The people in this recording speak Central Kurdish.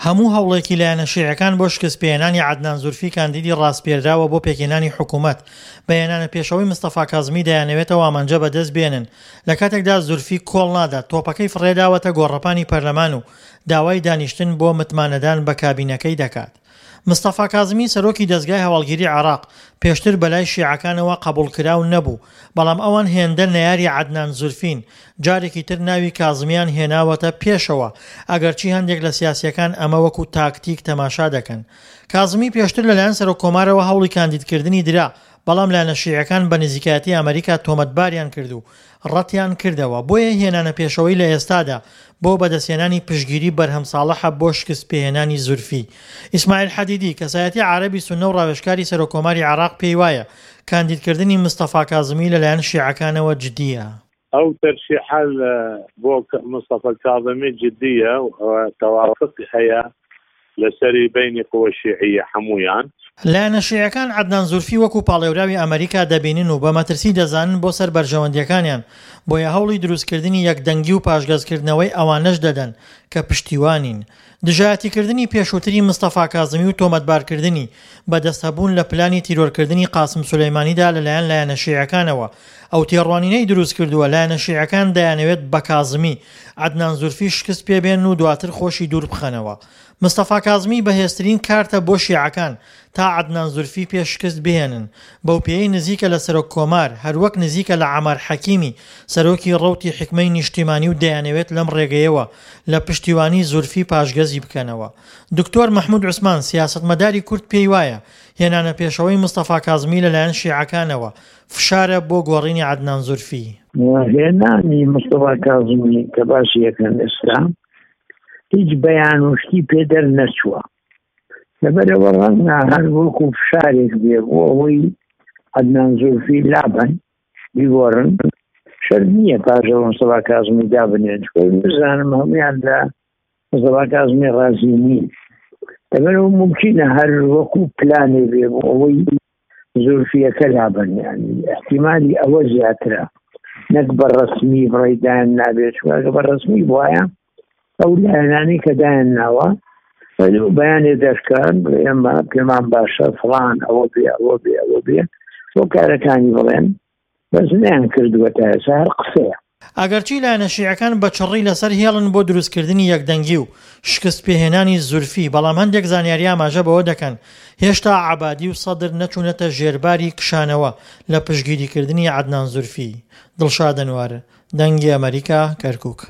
هەموو هەوڵێکی لایەنە شیعەکان بۆ شکستپێهێنانی عەدنان زورفی کاندیدی ڕاسپێردراوە بۆ پێکهێنانی حکومەت، بە هێنانە پێشەوەی مستەفا کازمی دەیانەوێت ئەو ئامانجە بەدەست بێنن، لە کاتێکدا زورفی کۆڵ نادات، تۆپەکەی فڕێداوەتە گۆڕەپانی پەرلەمان و داوای دانیشتن بۆ متمانەدان بە کابینەکەی دەکات. مستەفا کازمی سەرۆکی دەزگای هەواڵگیری عێراق پێشتر بەلای شیعەکانەوە قەبوڵکراو نەبوو، بەڵام ئەوان هێندە نەیاری عەدنان زورفین، جارێکی تر ناوی کازمیان هێناوەتە پێشەوە، ئەگەرچی هەندێک لە سیاسییەکان ئەمە وەکو تاکتیک تەماشا دەکەن. کازمی پێشتر لەلایەن سەرۆککۆمارەوە هەوڵی کاندیدکردنی درا، بەڵام لایەنە شیعەکان بە نزیکایەتی ئەمەریکا تۆمەتباریان کرد و ڕەتیان کردەوە، بۆیە هێنانە پێشەوەی لە ئێستادا بۆ بەدەستهێنانی پشتگیری بەرهەم ساڵحە بۆ شکستپێهێنانی زورفی. ئیسماعیل حەدیدی، کەسایەتی عارەبی سوننە و ڕاوێژکاری سەرۆککۆماری عێراق پێیوایە، کاندیدکردنی مستەفا کازمی لەلایەن شیعەکانەوە جدییە. ئەو تەرشیحە بۆ مستەفا کازمی جدییە و تەوافق هەیە لەسەری بەینی قوە شیعیە هەموویان. لایەنە شیعەکان عەدنان زورفی وەکو پاڵێوراوی ئەمەریکا دەبینن و بە مەترسی دەزانن بۆ سەر بەرژەوەندییەکانیان، بۆیە هەوڵی دروستکردنی یەکدەنگی و پاشگەزکردنەوەی ئەوانەش دەدەن کە پشتیوانین. دژایەتیکردنی پێشووتری مستەفا کازمی و تۆمەتبارکردنی بە دەستهەبوون لە پلانی تیرۆرکردنی قاسم سولەیمانیدا لەلایەن لایەنە شیعەکانەوە ئەو تێڕوانینەی دروستکردووە لایەنە شیعەکان دەیانەوێت بە کازمی، عەدنان زورفی شکست پێبێنن و دواتر خۆشی دووربخەنەوە. مستەفا کازمی بەهێزترین کارتە بۆ شیعەکان تا عەدنان زورفی پێ شکست بهێنن، بەوپێیەی نزیکە لە سەرۆک کۆمار، هەروەک نزیکە لە عەمار حەکیمی سەرۆکی ڕەوتی حیکمەی نیشتیمانی و دەیانەوێت لەم ڕێگەیەوە لە پشتیوانی زورفی پاشگەزی بکەنەوە. دکتۆر مەحمود عوسمان سیاسەتمەداری کورد پێیوایە هێنانە پێشەوەی مستەفا کازمی لەلایەن شیعەکانەوە فشارە بۆ گۆڕینی عەدنان زورفی. هێنانی مستەفا کازمی کە باسی ئەکەن ئێستا هیچ بەیان و شتی پێ دەرنەچووە، لەبەرئەوە ڕەنگە هەر وەکو فشارێک بێ بۆ ئەوەی عەدنان زولفی لابەن بیگۆڕن، شەرت نییە پاش ئەوە مستەفا کازمی دابنێن، چونکە بزانم هەمویان لە مستەفا کازمی ڕازی نین، لەبەرئەوە مومکینە هەر وەکو پلانێ بێ بۆ ئەوەی زولفیەکە لابەن، یانی احتیمالی ئەوە زیاترە نەک بە ڕەسمی بڕی دایان نابێت، چونکە بە ڕەسمی بواە ئەو لایەنانەی کە دایان ناوە بەیانێ دەرکەن ئێمە پێمان باشە فڵان ئەوە بێ ئەوە بێ ئەوە بێ بۆ کارەکانی بڵێن بەس نیان کردووە تا ئێستا هەر قسەیە. ئەگەرچی لایەنە شیعەکان بە چڕی لەسەر هێڵن بۆ دروستکردنی یەکدەنگی و شکستپێهێنانی زورفی، بەڵام هەندێک زانیاری ئاماژە بەوە دەکەن هێشتا عەبادی و سەدر نەچوونەتە ژێرباری کشانەوە لە پشتگیریکردنی عەدنان زورفی. دڵشاد ئەنوەر، دەنگی ئەمەریکا، کەرکوک.